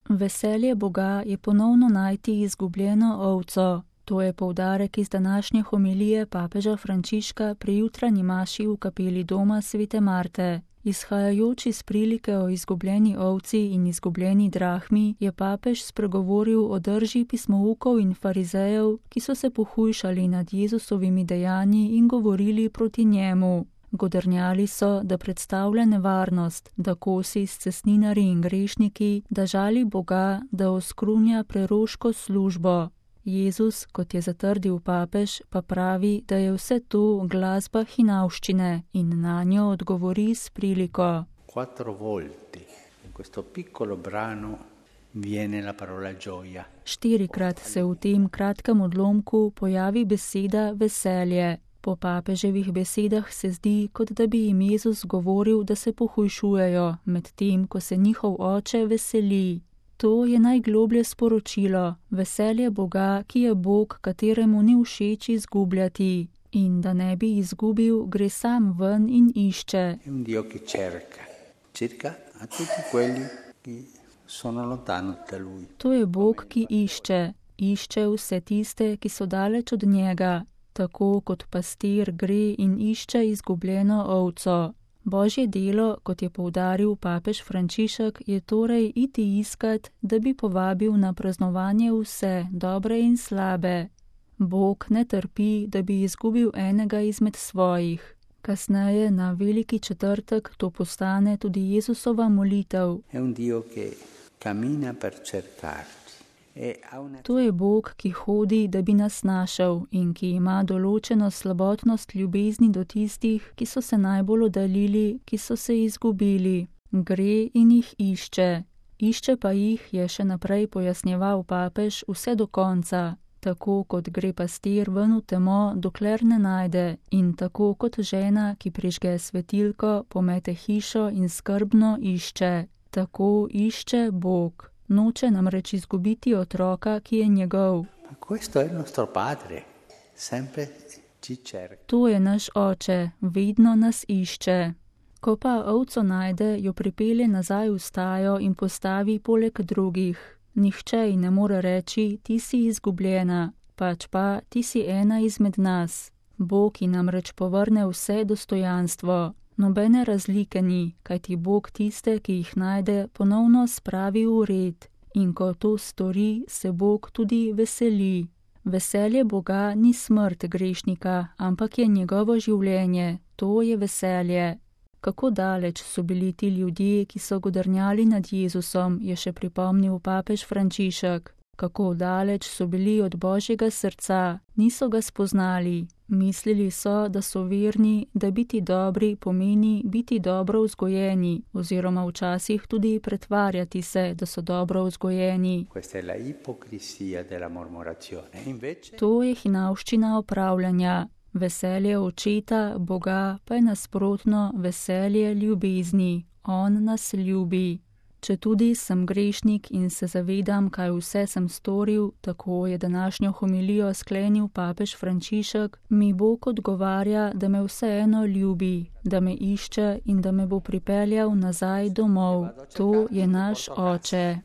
Veselje Boga je ponovno najti izgubljeno ovco. To je poudarek iz današnje homilije papeža Frančiška pri jutranji maši v kapeli doma Svete Marte. Izhajajoč iz prilike o izgubljeni ovci in izgubljeni drahmi, je papež spregovoril o drži pismoukov in farizejev, ki so se pohujšali nad Jezusovimi dejanji in govorili proti njemu. Godrnjali so, da predstavlja nevarnost, da kosi s cestninarji in grešniki, da žali Boga, da oskrunja preroško službo. Jezus, kot je zatrdil papež, pa pravi, da je vse to glasba hinavščine in na njo odgovori s priliko. 4 volte in questo piccolo brano viene la parola gioia. 4-krat se v tem kratkem odlomku pojavi beseda veselje. Po papeževih besedah se zdi, kot da bi jim Jezus govoril, da se pohujšujejo, medtem ko se njihov oče veseli. To je najgloblje sporočilo, veselje Boga, ki je Bog, kateremu ni všeč izgubljati. In da ne bi izgubil, gre sam ven in išče. È un Dio che cerca a tutti quelli che sono lontano da Lui. To je Bog, ki išče vse tiste, ki so daleč od njega, tako kot pastir gre in išče izgubljeno ovco. Božje delo, kot je poudaril papež Frančišek, je torej iti iskat, da bi povabil na praznovanje vse, dobre in slabe. Bog ne trpi, da bi izgubil enega izmed svojih. Kasneje, na Veliki četrtek, to postane tudi Jezusova molitev. È un Dio che cammina per cercarci. To je Bog, ki hodi, da bi nas našel in ki ima določeno slabotnost ljubezni do tistih, ki so se najbolj oddaljili, ki so se izgubili. Gre in jih išče. Išče pa jih, je še naprej pojasnjeval papež, vse do konca. Tako kot gre pastir ven v temo, dokler ne najde, in tako kot žena, ki prižge svetilko, pomete hišo in skrbno išče. Tako išče Bog. Noče namreč izgubiti otroka, ki je njegov. To je naš oče, vedno nas išče. Ko pa ovco najde, jo pripelje nazaj v stajo in postavi poleg drugih. Nihče ji ne more reči, ti si izgubljena, pač pa ti si ena izmed nas. Bog ji namreč povrne vse dostojanstvo. Nobene razlike ni, kajti Bog tiste, ki jih najde, ponovno spravi v red. In ko to stori, se Bog tudi veseli. Veselje Boga ni smrt grešnika, ampak je njegovo življenje. To je veselje. Kako daleč so bili ti ljudje, ki so godrnjali nad Jezusom, je še pripomnil papež Frančišek. Kako daleč so bili od Božjega srca, niso ga spoznali. Mislili so, da so verni, da biti dobri pomeni biti dobro vzgojeni, oziroma včasih tudi pretvarjati se, da so dobro vzgojeni. To je hinavščina opravljanja. Veselje očeta, Boga, pa je nasprotno veselje ljubezni. On nas ljubi. Četudi sem grešnik in se zavedam, kaj vse sem storil, tako je današnjo homilijo sklenil papež Frančišek, mi Bog odgovarja, da me vseeno ljubi, da me išče in da me bo pripeljal nazaj domov. To je naš oče.